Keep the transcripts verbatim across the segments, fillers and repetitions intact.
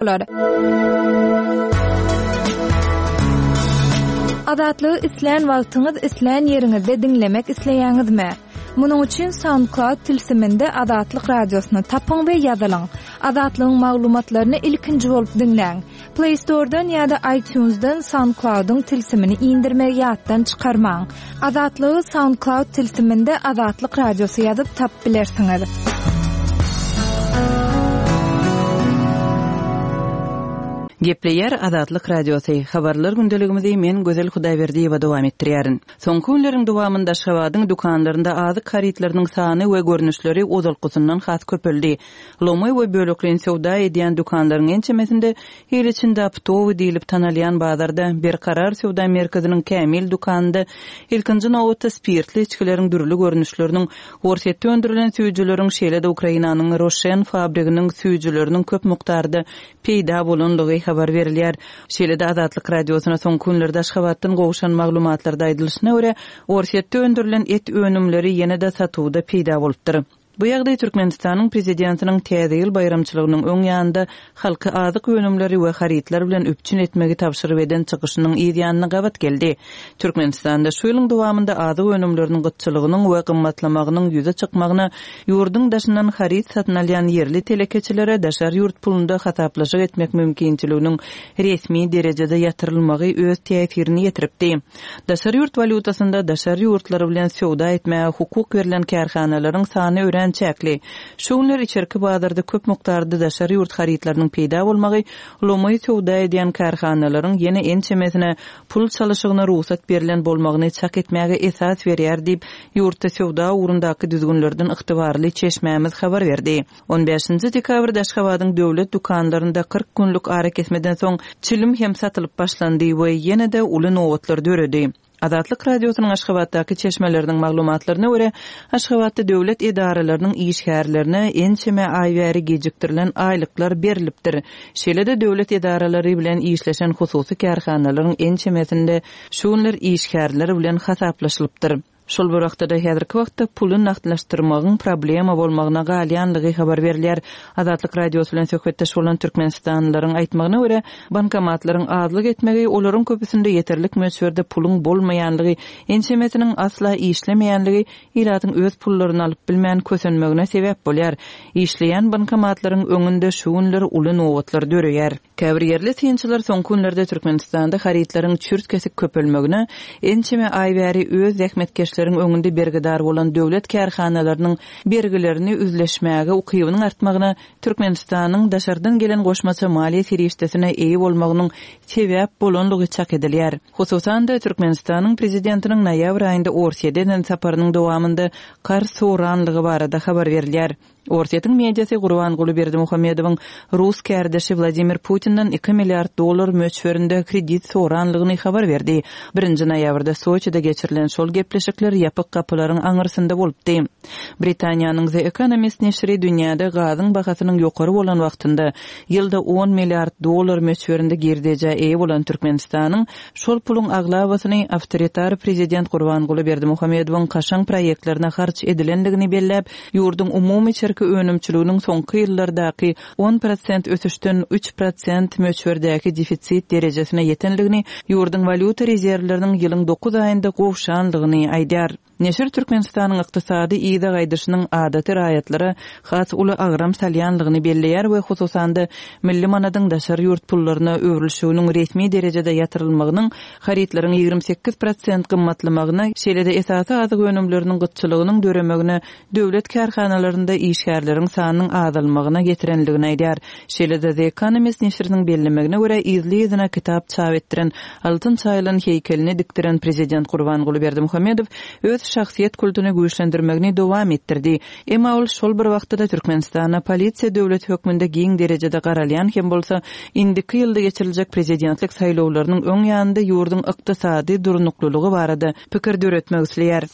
Bolar. Azatlygy islän wagtyňyz, islän ýeriňizde diňlemek isleýäňizmi? Munuň üçin SoundCloud tilsiminde Azatlyk Radiosyny tapyň we ýazylyň. Azatlygyň maglumatlaryny ilkinji bolup diňläň. Play Store-dan ýa-da iTunes-dan SoundCloud-yň tilsimini indirmegi ýatdan çykarmaň. Azatlygy SoundCloud tilsiminde Azatlyk Radiosy ýazyp tapyp bilersiňiz. Gepleýär Azatlyk Radiosy. Habarlar gündeligimizi men Gözel Hudaýberdiýewa dowam etdirýärin. Soňky günleriň dowamynda Aşgabadyň dükanlarynda azyk harytlarynyň sany we görnüşleri ozalkysyndan has köpeldi. Lomaý we bölekleýin söwda edýän dükanlaryň ençemesinde il içinde optowy diýlip tanalýan bazarda Berkarar söwda merkeziniň Kämil dükanynda ilkinji nobatda spirtli içgileriň dürli görnüşleriniň, Orsýetde öndürilen süýjüleriň, şeýle-de Ukrainanyň Roşen fabriginiň süýjüleriniň köp mukdarda peýda bolandygy habar berilýär. Şeýle-de Azatlyk Radiosyna soňky günlerde Aşgabatdan gowşan maglumatlarda aýdylyşyna görä, Orsýetde öndürilen et önümleri ýene-de satuwda peýda bolupdyr. Bu ýagdaý Türkmenistanyň Prezidentiniň Täze ýyl baýramçylygynyň öň ýanynda halky azyk önümleri we harytlar bilen üpjün etmegi tabşyryp eden çykyşynyň yz ýanyna gabat geldi. Türkmenistanda şu ýylyň dowamynda azyk önümleriniň gytçylygynyň we gymmatlamagynyň ýüze çykmagyna ýurduň daşyndan haryt satyn alýan ýerli telekeçilere daşary ýurt pulunda hasaplaşyk etmek mümkinçiliginiň resmi derejede ýatyrylmagy öz täsirini ýetiripdi. Daşary ýurt walýutasynda daşary ýurtlar bilen söwda etmäge hukuk berlen kärhanalaryň sany örän çäkli. Şu günler içerki bazarda köp mukdarda daşary ýurt harytlarynyň peýda bolmagy lomaý söwda edýän kärhanalaryň ýene ençemesine pul çalyşygyna rugsat berlen bolmagyny çak etmäge esas berýär diýip, ýurtda söwda ugrundaky düzgünlerden ygtybarly çeşmämiz habar berdi. On bäşinji dekabrda Aşgabadyň döwlet dükanlarynda kyrk günlük arakesmeden soň çilim hem satylyp başlandy we ýene-de uly nobatlar döredi. Azatlyk Radiosynyň Aşgabatdaky çeşmeleriniň maglumatlaryna görä, Aşgabatda döwlet edaralarynyň işgärlerine ençeme aý bäri gijikdirilen aýlyklar berlipdir. Şeýle-de döwlet edaralary bilen işleşen hususy kärhanalaryň ençemesinde şu günler işgärler bilen hasaplaşylypdyr. Şol bir wagtda-da häzirki wagtda puly nagtlaşdyrmagyň problema bolmagyna galýanlygy habar berilýär. Azatlyk Radiosy bilen söhbetdeş bolan türkmenistanlylaryň aýtmagyna görä, bankomatlaryň azlyk etmegi, olaryň köpüsinde ýeterlik möçberde puluň bolmaýanlygy, ençemesiniň asla işlemeýänligi ilatyň öz pullaryny alyp bilmän kösenmegine sebäp bolýar. Işleýän bankomatlaryň öňünde şu günler uly nobatlar döreýär. Käbir ýerli synçylar soňky günlerde Türkmenistanda harytlaryň çürt-kesik köpelmegine, ençeme aý bäri öz zähmetkeşleriň öňünde bergidar bolan döwlet kärhanalarynyň bergilerini üzleşmäge ukybynyň artmagyna Türkmenistanyň daşardan gelen goşmaça maliýe serişdesine eýe bolmagynyň sebäp bolanlygy çak edilýär. Hususan-da, Türkmenistanyň Prezidentiniň noýabr aýynda Orsýete eden saparynyň dowamynda karz soranlygy barada habar berilýär. Orsýetiň mediasy Gurbanguly Berdimuhamedowyň rus kärdeşi Wladimir Putinden iki milliard dollar möçberinde kredit soranlygyny habar berdi. Birinji noýabrda Soçide geçirilen şol gepleşikler ýapyk gapylaryň aňyrsynda bolupdy. Britaniýanyň The Economist neşiri dünýäde gazyň bahasynyň ýokary bolan wagtynda ýylda on milliard dollar möçberinde girdejä eýe bolan Türkmenistanyň şol puluň aglabasyny awtoritar prezident Gurbanguly Berdimuhamedowyň kaşaň proýektlerine harç edilendigini belläp, ýurduň umumy içerki önümçiliginiň soňky ýyllardaky on prosent ösüşden üç prosent möçberdäki defisit derejesine ýetenligini, ýurduň walýuta rezerwleriniň ýylyň dokuz aýynda gowşanlygyny aýdýar. Neşir Türkmenistanyň ykdysady yza gaýdyşynyň adaty raýatlara has uly agram salýanlygyny belleýär we hususan-da milli manadyň daşary ýurt pullaryna öwrülişiginiň resmi derejede ýatyrylmagynyň harytlaryň ýigrimi sekiz prosent gymmatlamagyna, şeýle-de esasy azyk önümleriniň gytçylygynyň döremegine, döwlet kärhanalarynda işgärleriň sanynyň azalmagyna getirenligini aýdýar. Şeýle-de The Economist neşiriniň bellemegine görä, yzly-yzyna kitap çap etdiren, altyn çaýylan heýkelini dikdiren prezident Gurbanguly Berdimuhamedow öz şahsyýet kultuny güýçlendirmegini dowam etdirdi. Emma ol şol bir wagtda-da Türkmenistana polisiýa döwleti hökmünde giň derejede garalýan hem bolsa, indiki ýylda geçiriljek prezidentlik saýlawlarynyň öň ýanynda ýurduň ykdysady durnuklylygy barada pikir döretmek isleýär.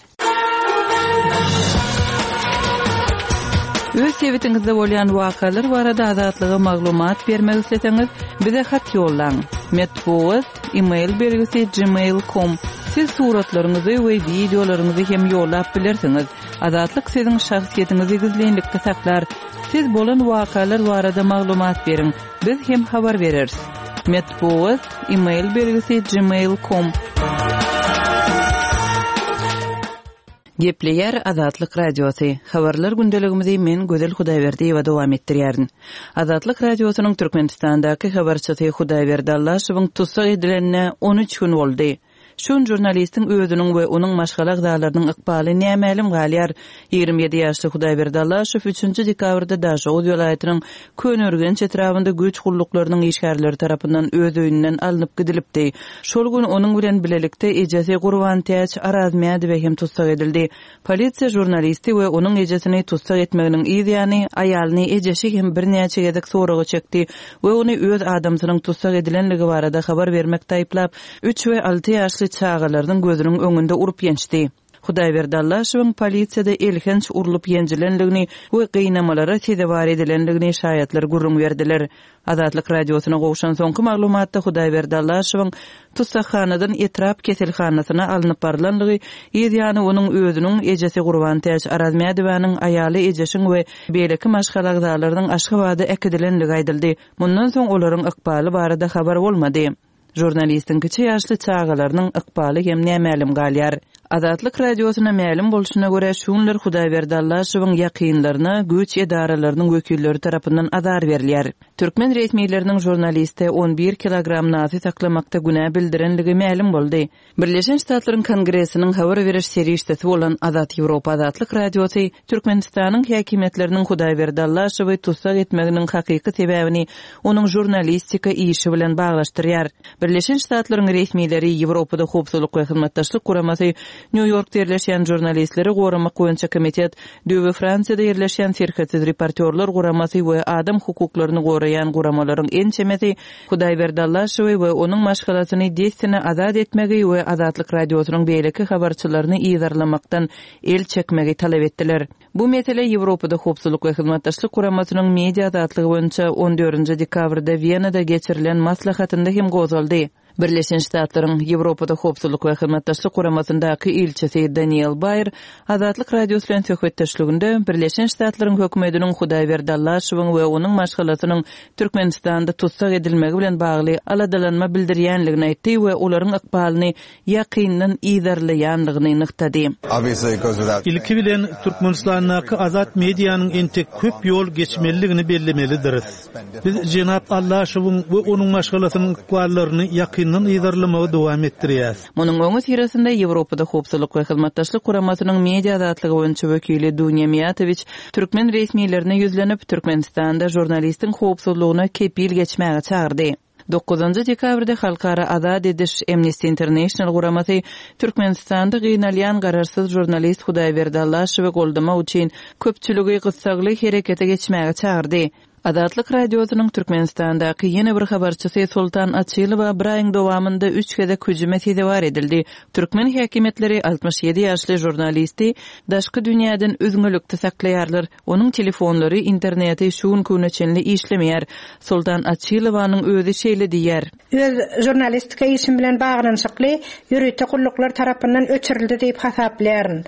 Öz sebitiňizde bolýan wakalar barada Azatlyga maglumat bermek isleseňiz, bize hat ýollaň. Metbugat, e-mail belgisi gmail nokta com. Siz suratlaryňyzy we wideolaryňyzy hem ýollap bilersiňiz. Azatlyk siziň şahsyýetiňizi gizlinlikde saklar. Siz bolan wakalar barada maglumat beriň. Biz hem habar bereris. Metbugat e-mail belgisi gmail nokta com. Gepleýär Azatlyk Radiosy. Habarlar gündeligimizi men Gözel Hudaýberdiýewa dowam etdirýärin. Azatlyk Radiosynyň Türkmenistandaky habarçysy Hudaýberdi Allaşowyň tussag edilenine on üç gün boldy. Şu gün žurnalistiň özüniň we onuň maşgala agzalarynyň ykbaly nämälim galýar. Ýigrimi ýedi ýaşly Hudaýberdi Allaşow üçünji dekabrda Daşoguz welaýatynyň Köneürgenç etrabynda güýç gulluklarynyň işgärleri tarapyndan öz öýünden alnyp gidilipdi. Şol gün onuň bilen bilelikde ejesi Gurbantäç Arazmädowa hem tussag edildi. Polisiýa žurnalisti we onuň ejesini tussag etmeginiň yz ýany aýalyny ejesi hem birnäçe gezek soraga çekdi we ony öz adamsynyň tussag edilenligi barada habar bermekde aýyplap, üç we alty ýaşly çagalarynyň gözüniň öňünde urup ýençdi. Hudaýberdi Allaşowyň polisiýada elhenç urlup ýenjilenligini we gynamalara sezewar edilenligini şaýatlar gürrüň berdiler. Azatlyk Radiosyna gowşan soňky maglumatda Hudaýberdi Allaşowyň tussaghanadan etrap keselhanasyna alnyp barylanlygy, yz ýany onuň özüniň ejesi Gurbantäç Arazmädowanyň aýaly ejeşiň we beýleki maşgala agzalarynyň Aşgabada äkidilenligi aýdyldy. Mundan soň olaryň ykbaly barada habar bolmady. Žurnalistiň kiçi ýaşly çagalarynyň ykbaly hem nämälim galýar. Azatlyk Radiosyna mälim bolşuna görä, şu günler Hudaýberdi Allaşowyň ýakynlaryna güýç edaralarynyň wekilleri tarapyndan azar berilýär. Türkmen resmileriniň žurnaliste on bir kilogram nasy saklamakda günä bildirenligi mälim boldy. Birleşen Ştatlaryň Kongresiniň habar beriş serişdesi bolan Azat Ýewropa Azatlyk Radiosy Türkmenistanyň häkimiýetleriniň Hudaýberdi Allaşowy tussag etmeginiň hakyky sebäbini onuň žurnalistika işi bilen baglaşdyrýar. Birleşen Ştatlaryň resmileri Ýewropada howpsuzlyk we hyzmatdaşlyk guramasy New Yorkda ýerleşýän žurnalistleri goramak boýunça komitet, Döwe Fransiýada ýerleşýän serhetsiz reportýorlar guramasy we adam hukuklaryny goraýan guramalaryň ençemesi Hudaýberdi Allaşowy we onuň maşgalasyny dessine azat etmegi we Azatlyk Radiosynyň beýleki habarçylaryny yzarlamakdan el çekmegi talap etdiler. Bu mesele Ýewropada howpsuzlyk we hyzmatdaşlyk guramasynyň media azatlygy boýunça on dördünji dekabrda Wenada geçirilen maslahatynda hem gozgaldy. Birleşen Ştatlaryň Ýewropada howpsuzlyk we hyzmatdaşlyk guramasyndaky ilçisi Daniel Bayer Azatlyk Radiosy bilen söhbetdeşliginde Birleşen Ştatlaryň hökümetiniň Hudaýberdi Allaşowyň we onuň maşgalasynyň Türkmenistanda tussag edilmegi bilen bagly aladalanma bildirýänligini aýtdy we olaryň ykbalyny ýakyndan yzarlaýanlygyny nygtady. Ilki bilen Türkmenistandaky azat medianyň entek köp ýol geçmeliligini bellemelidiris. Biz Jenap Allaşowyň we onuň maşgalasynyň ykballaryny ýakyndan yzarlamagy dowam etdirýäris. Munuň öňi syrasynda Ýewropada howpsuzlyk we hyzmatdaşlyk guramasynyň media azatlygy boýunça wekili Dunýa Miýatowiç türkmen resmilerine ýüzlenip, Türkmenistanda žurnalistiň howpsuzlygyna kepil geçmäge çagyrdy. Dokuzynjy dekabrda Halkara Azat ediş Amnesty International guramasy Türkmenistanda gynalýan garaşsyz žurnalist Hudaýberdi Allaşowy goldamak üçin köpçüligi gyssagly herekete geçmäge çagyrdy. Azatlyk Radiosynyň Türkmenistandaky ýene bir habarçysy Sultan Açylowa bir aýyň dowamynda üç gezek hüjüme sezewar edildi. Türkmen häkimiýetleri altmyş ýedi ýaşly žurnalisti daşky dünýäden üzňelikde saklaýarlar. Onuň telefonlary, interneti şu gün güne çenli işlemeýär. Sultan Açylowanyň özi şeýle diýýär. Öz žurnalistika işim bilen baglanyşykly ýörite gulluklar tarapyndan öçürildi diýip hasaplaýaryn.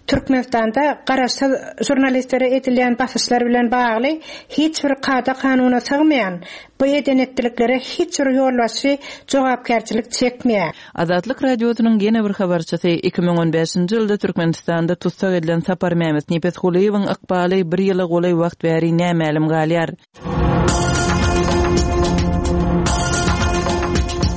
Türkmenistanda garaşsyz žurnalistlere edilýän basyşlar bilen bagly hiç bir kada kanuna sygmaýan bu edenetdiliklere hiç bir ýolbaşçy jogapkärçilik çekmeýär. Azatlyk Radiosynyň ýene bir habarçysy iki müň on beşinji ýylda Türkmenistanda tussag edilen Sapar Mehmet Nepesgulyýewiň ykbaly bir ýyla golaý wagt bäri nämälim galýar.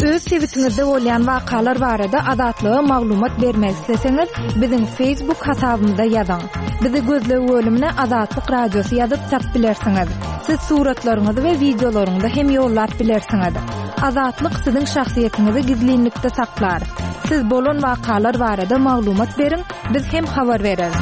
Öz sebitiňizde bolýan wakalar barada Azatlyga maglumat bermek isleseňiz, biziň Facebook hasabymyzda ýazyň. Bizi gözleg bölümine Azatlyk Radiosy ýazyp tap bilersiňiz. Siz suratlaryňyzy we wideolaryňyzy hem ýollap bilersiňiz. Azatlyk siziň şahsyýetiňizi gizlinlikde saklar. Siz bolan wakalar barada maglumat beriň, biz hem habar bereris.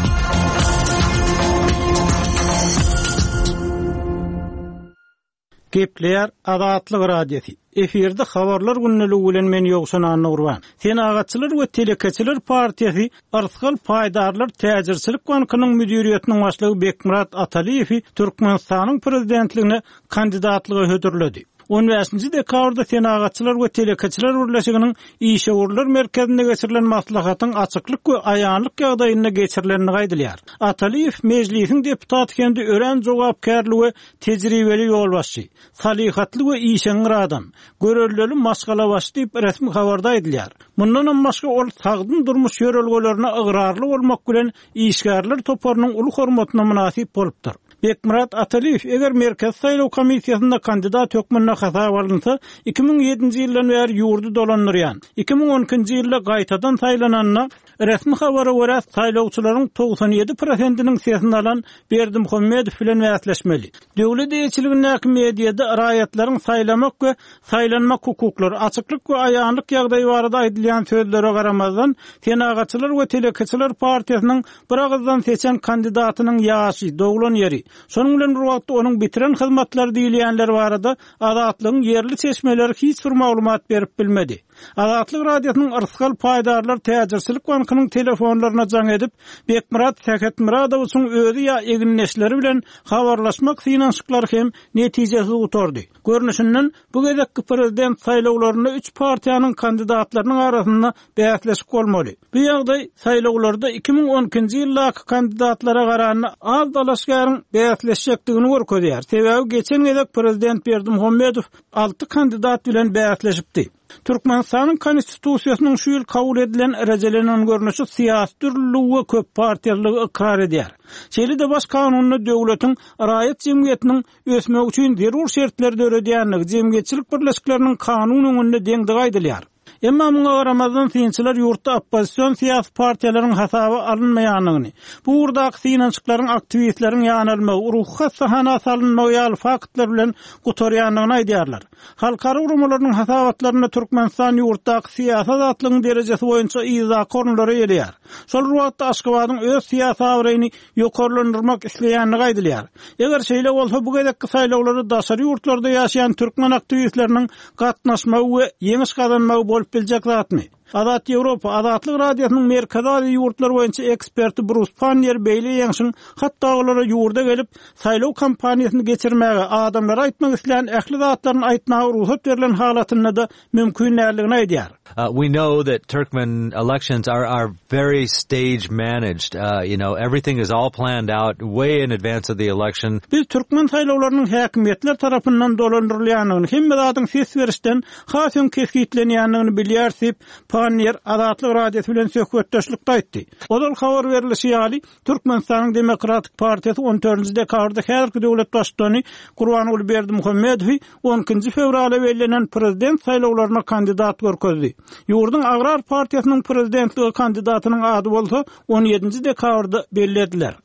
Gepleýär Azatlyk Radiosy. Efirde habarlar günlügi bilen men Ýowşan Annurban. Senagatçylar we telekeçiler partiýasy Arsgal Paýdarlar Täjirçilik bankynyň müdiriýetiniň başlygy Bekmurat Ataliýewi Türkmenistanyň prezidentligine kandidatlyga hödürledi. On bäşinji dekabrda Senagatçylar we telekeçiler birleşiginiň işewürler merkezinde geçirilen maslahatyň açyklyk we aýanlyk ýagdaýynda geçirilenini aýdylýar. Atalyýew mejlisiň deputaty hem-de örän jogapkärli we tejribeli ýolbaşçy, salyhatly we işeňňir adam, görelleli maşgalabaşy diýip resmi habarda aýdylýar. Mundanam başga ol sagdyn durmuş ýörelgelerine ygrarly bolmak bilen işgärler toparynyň uly hormatyna mynasyp bolupdyr. Bekmyrat Atalyýew eger Merkezi saýlaw komissiýasynda kandidat hökmünde hasap alynsa, iki müň ýedinji ýyldan bäri ýurdy dolandyrýan, iki müň on ikinji ýylda gaýtadan saýlananda resmi habara görä saýlawçylaryň togsan ýedi prosentiniň sesini alan Berdimuhamedow bilen bäsleşmeli. Döwlet eýeçiligindäki mediada raýatlaryň saýlamak we saýlanmak hukuklary, açyklyk we aýanlyk ýagdaýy barada aýdylýan sözlere garamazdan, Senagatçylar we telekeçiler partiýasynyň bir agyzdan seçen kandidatynyň ýaşy, doglan ýeri, şonuň bilen bir wagtda onuň bitiren hyzmatlary diýilýänler barada Azatlygyň ýerli çeşmeleri hiç bir maglumat berip bilmedi. Azatlyk Radiosynyň Yrsgal paýdarlar täjirçilik bankynyň telefonlaryna jaň edip, Bekmyrat Sähetmyradowyň özi ýa egindeşleri bilen habarlaşmak synanyşyklary hem netijesiz gutardy. Görnüşinden bu gezekki prezident saýlawlarynda üç partiýanyň kandidatlarynyň arasynda bäsleşik bolmaly. Bu ýagdaý saýlawlarda iki müň on ikinji ýyldaky kandidatlara garanda az dalaşgäriň bäsleşjekdigini görkezýär. Sebäbi geçen gezek prezident Berdimuhamedow alty kandidat bilen bäsleşipdi. Türkmenistanyň konstitusiýasynyň şu ýyl kabul edilen rejelenen görnüşi syýasy dürlüligi we köp partiýalylygy ykrar edýär. Şeýle-de baş kanunda döwletiň raýat jemgyýetiniň ösmegi üçin zerur şertleri döredýänligi, jemgyýetçilik birleşikleriniň kanun öňünde deňdigi aýdylýar. Emma muňa garamazdan synçylar ýurtda oppozision syýasy partiýalaryň hasaby alynmaýanlygyny, bu ugurdaky synanyşyklaryň aktiwistleriň ýanalmagy, ruhy hassahana salynmagy ýaly faktlar bilen gutarýanlygyny aýdýarlar. Halkara guramalarynyň hasabatlarynda Türkmenistan ýurtdaky syýasy azatlygyň derejesi boýunça yzdaky orunlara gelýär. Şol bir wagtda Aşgabadyň öz syýasy abraýyny ýokarlandyrmak isleýänligi aýdylýar. Eger şeýle bolsa bu gezekki saýlawlarda daşary ýurtlarda ýaşaýan türkmen aktiwistleriniň gatnaşmagy we ýeňiş gazanmagy bolup biljek zatmy? Azat Ýewropa Azatlyk Radiosynyň Merkezi Aziýa ýurtlary boýunça eksperti Brus Pannier beýle ýeňşiň hatda olara ýurda gelip saýlaw kampaniýasyny geçirmäge, adamlara aýtmak islän ähli zatlaryny aýtmaga rugsat berlen halatynda da mümkin däldigini aýdýar. Uh, we know that Turkmen elections are, are very stage managed. Uh, you know, everything is all planned out way in advance of the election. Biz türkmen saýlawlarynyň häkimiýetler tarapyndan dolandyrylýandygyny, hemme zadyň ses berişden has öň kesgitlenýändigini bilýär diýip, Pannier Azatlyk Radiosy bilen söhbetdeşlikde aýtdy. Ozal habar berilişi ýaly, Türkmenistanyň Demokratik Partiýasy on dördünji dekabrda häzirki döwlet baştutany Gurbanguly Berdimuhamedowy on ikinji fewralda bellenen prezident saýlawlaryna kandidat görkezdi. Ýurduň Agrar Partiýasynyň prezidentligi kandidatynyň ady bolsa on ýedinji dekabrda belli ediler.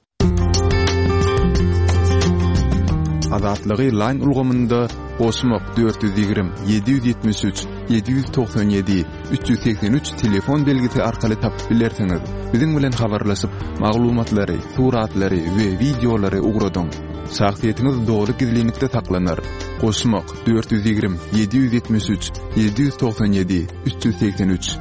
Azatlygy line ulgamynda goşmak dört ýüz ýigrimi, ýedi ýüz ýetmiş üç, ýedi ýüz togsan ýedi, üç ýüz segsen üç telefon belgisi arkaly tapyp bilersiňiz. Biziň bilen habarlaşyp, maglumatlary, suratlary we wideolary ugradyň. Şahsyýetiňiz doly gizlinlikde saklanar. Goşmak dört ýüz ýigrimi, ýedi ýüz ýetmiş üç, ýedi ýüz togsan ýedi, üç ýüz segsen üç.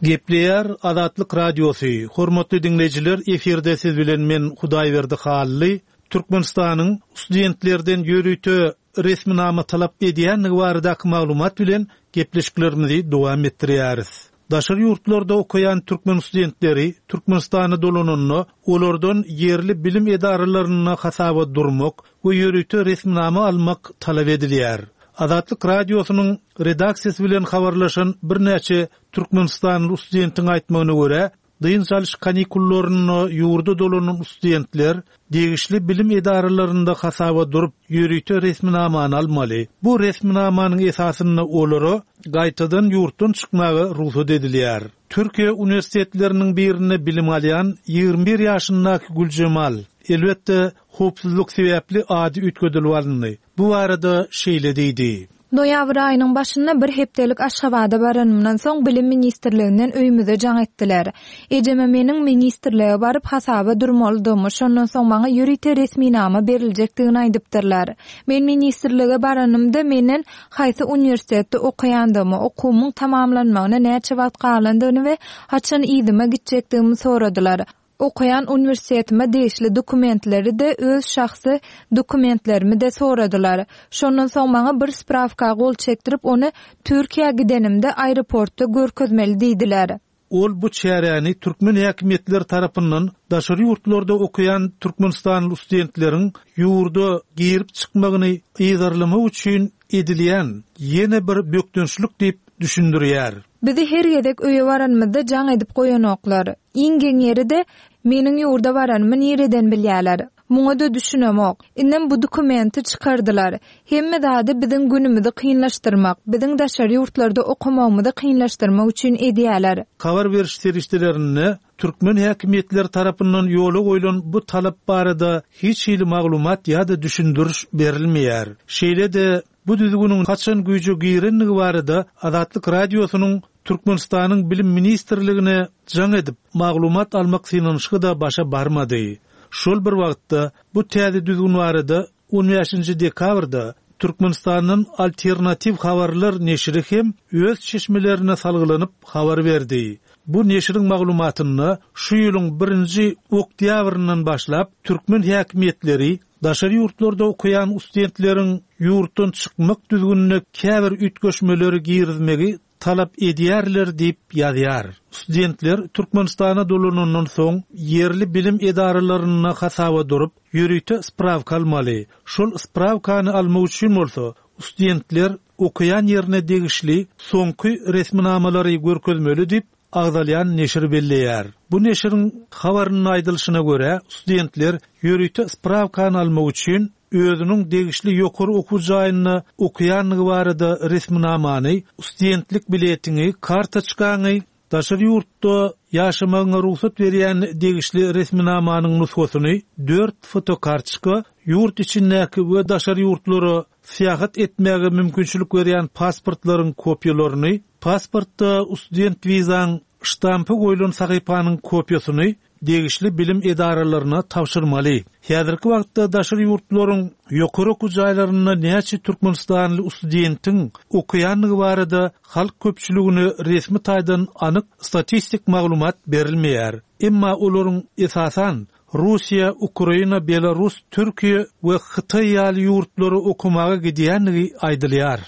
Gepleýär Azatlyk Radiosy. Hormatly dinleýjiler, efirde siz bilen men Hudaýberdi Hally. Türkmenistanyň studentlerden ýörite resminama talap edýänligi baradaky maglumat bilen gepleşiklerimizi dowam etdirýäris. Daşary ýurtlarda okaýan türkmen studentleri Türkmenistana dolananda olardan ýerli bilim edaralarynda hasaba durmak we ýörite resminama almak talap edilýär. Azatlyk Radiosynyň redaksiýasy bilen habarlaşan birnäçe Türkmenistanly studentiň aýtmagyna görä, dynç alyş kanikullaryna ýurda dolanan studentler degişli bilim edaralarynda hasaba durup ýörite resminamany almaly. Bu resminamanyň esasynda olara gaýtadan ýurtdan çykmaga rugsat edilýär. Türkiýe uniwersitetleriniň birinde bilim alýan ýigrimi bir ýaşyndaky Güljemal, elbetde howpsuzlyk sebäpli ady üýtgedilip alyndy. Bu barada şeýle diýdi. Noýabr aýynyň başynda bir hepdelik Aşgabada baranymdan soň bilim ministrliginden öýümize jaň etdiler. Ejeme meniň ministrlige baryp hasaba durmalydygymy, şondan soň maňa ýörite resminama beriljekdigini aýdypdyrlar. Men ministrlige baranymda menden haýsy uniwersitetde okaýandygymy, okuwymyň tamamlanmagyna näçe wagt galandygyny we haçan yzyma gitjekdigimi soradylar. Okaýan uniwersitetime degişli dokumentleri-de, öz şahsy dokumentlerimi-de soradylar. Şondan soň maňa bir sprawka gol çekdirip, ony Türkiýä gidenimde aeroportda görkezmeli diýdiler. Ol bu çäräni türkmen häkimiýetleri tarapyndan daşary ýurtlarda okaýan türkmenistanly studentleriň ýurda girip çykmagyny yzarlamak üçin edilýän ýene bir bökdençlik diýip düşündirýär. Bizi her gezek öýe baranymyzda jaň edip goýanoklar. Iň geň ýeri-de, meniň ýurda baranymy nireden bilýärler? Muňa-da düşünemok. Indem bu dokumenti çykardylar. Hemme zady biziň günümizi kynlaşdyrmak, biziň daşary ýurtlarda okamagymyzy kynlaşdyrmak üçin edýärler. Habar beriş serişdelerinde türkmen häkimiýetleri tarapyndan ýola goýlan bu talap barada hiç hili maglumat ýa-da düşündiriş berilmeýär. Şeýle-de bu düzgüniň haçan güýje girenligi barada Azatlyk Radiosynyň Türkmenistanyň Bilim ministrligine jaň edip maglumat almak synanyşygy-da başa barmady. Şol bir wagtda bu täze düzgün barada on bäşinji dekabrda Türkmenistandan alternatiw habarlar neşiri hem öz çeşmelerine salgylanyp habar berdi. Bu neşiriň maglumatynda şu ýylyň birinji oktýabryndan başlap türkmen häkimiýetleri daşary ýurtlarda okaýan studentleriň ýurtdan çykmak düzgünine käbir üýtgeşmeleri girizmegi talap edýärler diýip ýazýar. Studentler Türkmenistana dolanandan soň ýerli bilim edaralarynda hasaba durup ýörite sprawka almaly. Şol sprawkany almak üçin bolsa studentler okaýan ýerine degişli soňky resminamalary görkezmeli diýip agzalýan neşir belleýär. Bu neşiriň habarynyň aýdylyşyna görä studentler ýörite sprawkany almak üçin özüniň degişli ýokary okuw jaýynda okaýanlygy barada resminamany, studentlik biletini, kartoçkany, daşary ýurtda ýaşamagyna rugsat berýän degişli resminamanyň nusgasyny, dört fotokartoçka, ýurt içindäki we daşary ýurtlara syýahat etmäge mümkinçilik berýän pasportlaryň kopýalaryny, pasportda student wizaň ştampy goýlan sahypanyň kopýasyny degişli bilim edaralaryna tabşyrmaly. Häzirki wagtda daşary ýurtlaryň ýokary okuw jaýlarynda näçe türkmenistanly studentiň okaýanlygy barada halk köpçüligine resmi taýdan anyk statistik maglumat berilmeýär. Emma olaryň esasan Russiýa, Ukraina, Belarus, Türkiýe we Hytaý ýaly ýurtlary okamaga gidýänligi aýdylýar.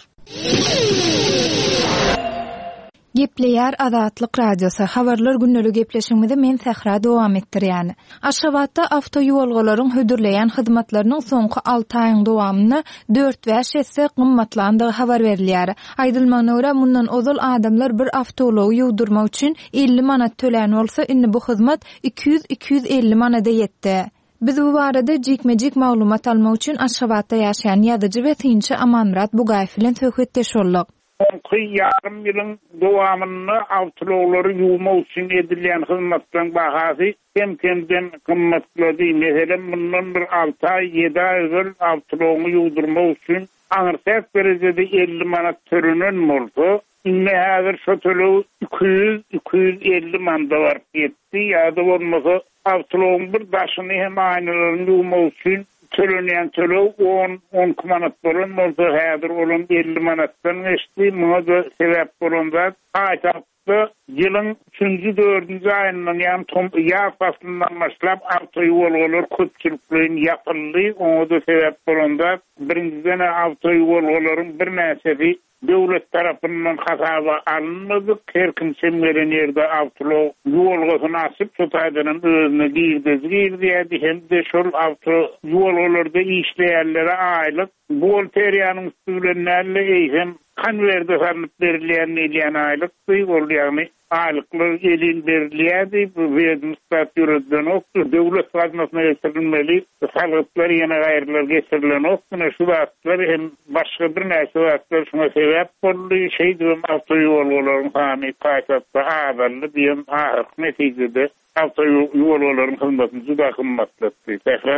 Gepleýär Azatlyk Radiosy. Habarlar günleri gepleşigimizi men Sähra dowam etdirýän. Aşgabatda awtoýolgalaryň hödürleýän hyzmatlarynyň soňky alty aýyň dowamynda dört bäş esse gymmatlandygy habar berilýär. Aýdylmagyna görä, mundan ozal adamlar bir awtoulagy ýuwdurmak üçin elli manat tölän bolsa, indi bu hyzmat iki ýüz iki ýüz elli manada ýetdi. Biz bu barada jikme-jik maglumat almak üçin Aşgabatda ýaşaýan ýazyjy we synçy Amanmyrat Bugaýew bilen söhbetdeş bolduk. Soňky ýarym ýylyň dowamynda awtoulaglary ýuwmak üçin edilýän hyzmatlaryň bahasy kem-kemden gymmatlady. Meselem, mundan bir alty aý, ýedi aý özel awtoulagyny ýuwdurmak üçin aňyrsäk derejede elli manat tölenen bolsa, indi häzir şo töleg iki ýüz, iki ýüz elli manada baryp ýetdi. Ýa-da bolmasa awtoulagyň bir daşyny hem aýnalaryny ýuwmak üçin tölenýän töleg on, on iki manat bolan bolsa, häzir olan elli manatdan geçdi. Muňa da sebäp bolan zat paýtagtda ýylyň üçünji, dördünji aýyndan, ýagny tom ýaz paslyndan başlap awtoýolgalar köpçülikleýin ýapyldy. Oňa da sebäp bolan zat birinjiden awtoýolgalaryň birnäçesi döwlet tarapyndan hasaba alynmadyk. Her kim çem gelen ýerde awtoulag ýolgasyny açyp, şu taýdan hem özüne girdeji girýärdi, hem-de şol awto ýolgalarda işleýänlere aýlyk buhgalteriýanyň üstü bilen näle eýsem konwerde salyp berilýän diýilýän aýlykdy. Ol ýagny aýlyklar elin berilýärdi, bu wedomstwat ýöredilenokdy, döwlet gaznasyna getirilmeli salgytlar ýene gaýrylar getirilenokdy. Ine şu zatlar hem başga birnäçe zatlar şuňa sebäp boldy. Şeýdibem awtoýolgalaryň sany paýtagtda azaldy diýen ahyrky netijede awtoýolgalaryň hyzmatyny juda gymmatlatdy. Sähra.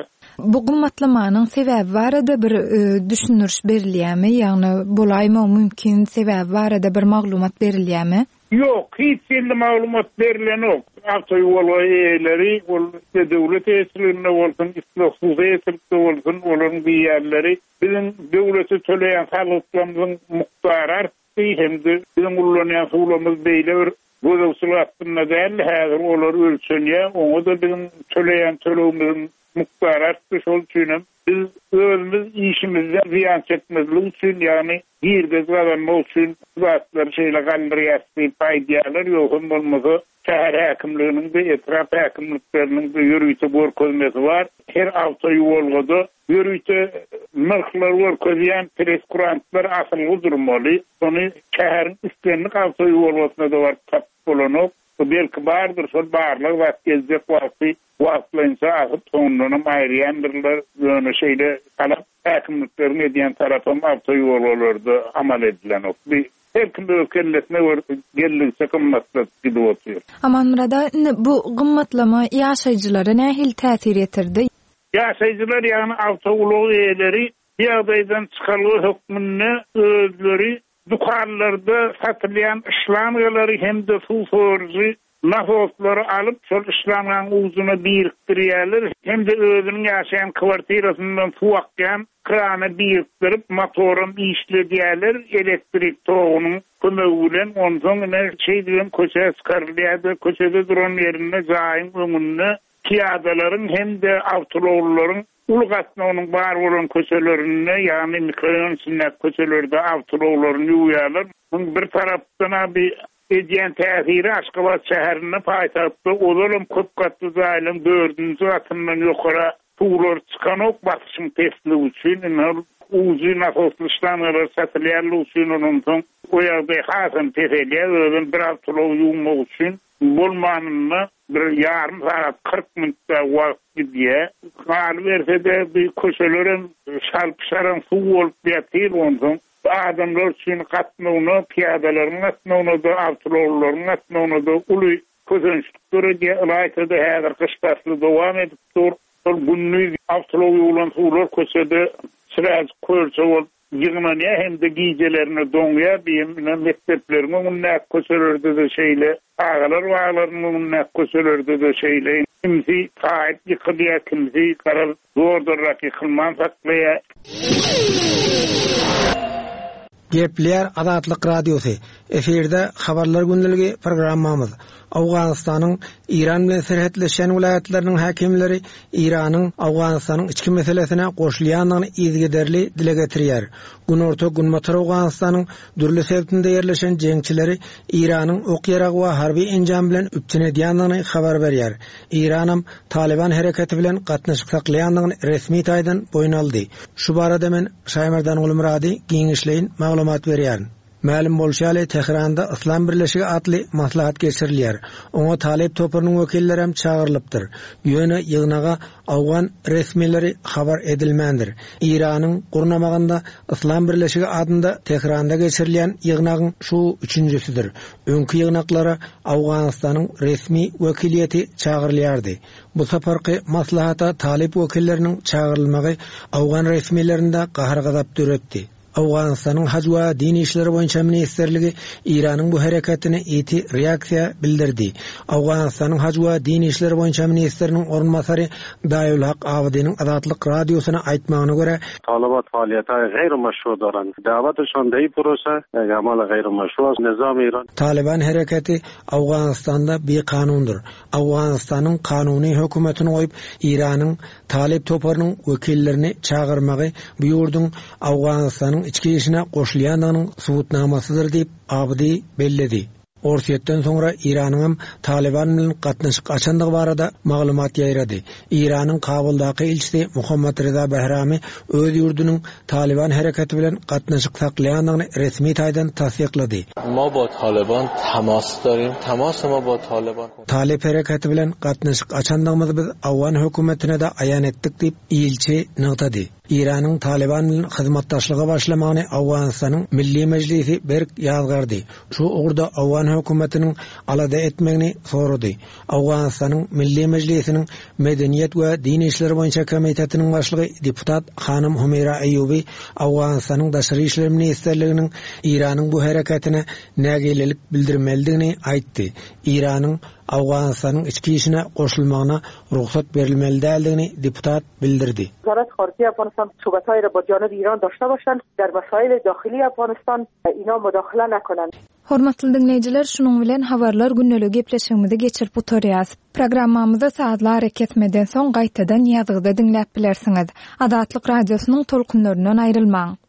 Bu gymmatlamanyň sebäbi barada bir, e, düşündiriş berilýärmi? Ýagny bolaýmagy mümkin sebäbi barada bir maglumat berilýärmi? Ýok, hiç ýerde maglumat berilenok. Awtoýolga eýeleri, ol isle döwlet eýeçiliginde bolsun, isle hususy eýeçilikde bolsun, olaryň diýýärleri biziň döwlete töleýän salgytlarymyzyň mukdary artdy, hem-de biziň ullanýan suwlarymyz beýle bir gözegçilik astynda däldi, häzir olar ölçenýär, oňa-da biziň töleýän tölegimiziň mukdary artdy, şol üçinem biz özümiz işimizden zyýan çekmezlik üçin, ýagny girdeji gazanmak üçin bu zatlary şeýle galdyrýas diýip aýdýarlar, ýogsam bolmasa şäher häkimliginiň-de, etrap häkimlikleriniň-de ýörite görkezmesi bar, her awtoýuwalgada ýörite nyrhlary görkezýän preskurantlar asylgy durmaly, ony şäheriň islendik awtoýuwalgasyna-da baryp tapyp bolanok, belki bardyr, şol barlag zat geljek wagty wagtlaýynça asyp soňundanam aýyrýandyrlar, ýöne şeýle talap häkimlikleriň edýän tarapam awtoýuwalgalarda amal edilenok. Bir her kim öz kellesine görä geldigiçe gymmatladyp gidip otyr. Amanmyrat aga, indi bu gymmatlama ýaşaýjylara nähili täsir ýetirdi? Ýaşaýjylar, ýagny awtoulag eýeleri bu ýagdaýdan çykalga hökmünde özleri dükanlarda satylýan şlangalary hem-de suw sorujy nasoslary alyp, şol şlangaň ujuna birikdirýärler hem-de özüniň ýaşaýan kwartirasyndan suw akýan krana birikdirip, motoram işledýärler, elektrik togunyň kömegi bilen, onsoň ine şeýdibem köçä çykarylýar-da, köçede duran ýerinde jaýyň öňünde pyýadalaryň hem-de awtoulaglaryň uly gatnawynyň bar bolan köçelerinde, ýagny mikroraýon içindäki köçelerde awtoulaglaryny ýuwýarlar. Muň bir tarapdan bir edýän täsiri Aşgabat şäherinde, paýtagtda ozalam köp gatly jaýlaryň dördünji gatyndan ýokara suwlar çykanok, basyşyň pesligi üçin, indi ol ujy nasosly şlangalar satylýanlygy üçin ondan soň o ýagdaý hasam peselýär, özem bir awtoulag ýuwmak üçin bolmanynda bir ýarym sagat kyrk minutda wagt gidýär. Galyberse-de bir köçelerem şalpy-şaran suw bolup ýatyr, onsoň adamlar üçin gatnawyna, pyýadalaryň gatnawyna-da, awtoulaglaryň gatnawyna-da uly kösençlik döredýär. Ylaýta-da häzir gyş pasly dowam edip dur. Şol gündiz awtoulag ýuwlan suwlar köçede çyraçyk kölçe bolup ýygnanýar hem-de gijelerine doňýar. Diýen mekdepleriň öňündäki köçelerde-de şeýle, çagalar baglarynyň öňündäki köçelerde-de şeýle. Kimsi taýyp ýykylýar, kimsi garaz zordanrak ýykylman saklaýar. Gepleýär Azatlyk Radiosy. Efirde Habarlar gündeligi programmamyz. Owganystanyň Iran bilen serhetleşen welaýatlarynyň häkimleri Iranyň Owganystanyň içki meselesine goşulýandygyny yzygiderli dile getirýär. Günorta Günbatar Owganystanyň dürli sebitinde ýerleşen jeňçileri Iranyň ok-ýarag we harby enjam bilen üpjün edýändigini habar berýär. Iranam Taliban hereketi bilen gatnaşyk saklaýandygyny resmi taýdan boýun aldy. Şu barada men Şaýmerdan Gulmyrady giňişleýin maglumat berýärin. Mälim bolşy ýaly Tehranda Yslam Birleşigi atly maslahat geçirilýär. Oňa Talip toparynyň wekilleri hem çagyrylypdyr. Ýöne ýygnaga Awgan resmileri habar edilmändir. Iranyň gurnamagynda Yslam Birleşigi adynda Tehranda geçirilýän ýygnagyň şu üçünjisidir. Öňki ýygnaklara Awganystanyň resmi wekiliýeti çagyrylýardy. Bu saparky maslahata Talip wekilleriniň çagyrylmagy Awgan resmilerinde gahar-gazap döretdi. Awganystanyň Haj we Din işleri boýunça ministrligi Iranyň bu hereketine ýiti reaksiýa bildirdi. Awganystanyň Haj we Din işleri boýunça ministriniň orunbasary Daýulhak Abidiniň Azatlyk radiosyna aýtmagyna görä, Taliban faaliýethaý gaýrymeşru doran. Dawetuşan deý prosa, amal gaýrymeşru nizam Iran. Taliban hereketi Awganystanda bikanundyr. Awganystanyň kanuny hökümetini goýup, Iranyň Talip toparynyň wekillerini çagyrmagy bu ýurduň Awganystanyň içki işine goşulýandygynyň subutnamasydyr diýip Abidi belledi. Orsýetden soňra Iranyň Taliban bilen gatnaşyk açandygy barada maglumat ýaýrady. Iranyň Kabuldaky ilçisi Muhammad Reza Behrami öz ýurdunyň Taliban hereketi bilen gatnaşyk saklaýandygyny resmi taýdan tassyklady. Ma bo Taliban tamas darim, tamas ma bo Taliban. Talip hereketi bilen gatnaşyk açandygymyzy biz Awgan hökümetine-de aýan etdik diýip ilçi nygtady. Iranyň Taliban bilen hyzmatdaşlyga başlamagyny Awganystanyň Milli Mejlisi berk ýazgardy. Şu ugurda Awgan hökümetiniň alada etmegini sorady. Awganystanyň Milli Mejlisiniň Medeniýet we Din işleri boýunça komitetiniň başlygy deputat Hanym Humeyra Eýubi Awganystanyň Daşary işler ministrliginiň Iranyň bu hereketine nägilelik bildirmelidigini aýtdy. Iranyň Awganystanyň içki işine goşulmagyna rugsat berilmeli däldigini deputat bildirdi. وزارت خارجه افغانستان صحبت‌های را با جانب ایران داشته باشند، در مسائل داخلی افغانستان اینا مداخله نکنند. Hormatly diňleýjiler, şunuň bilen habarlar gündeligi gepleşigimizi geçirip gutarýas. Programmamyzy sazly arakesmeden soň gaýtadan ýazgyda diňläp bilersiňiz. Azatlyk Radiosynyň tolkunlaryndan aýrylmaň.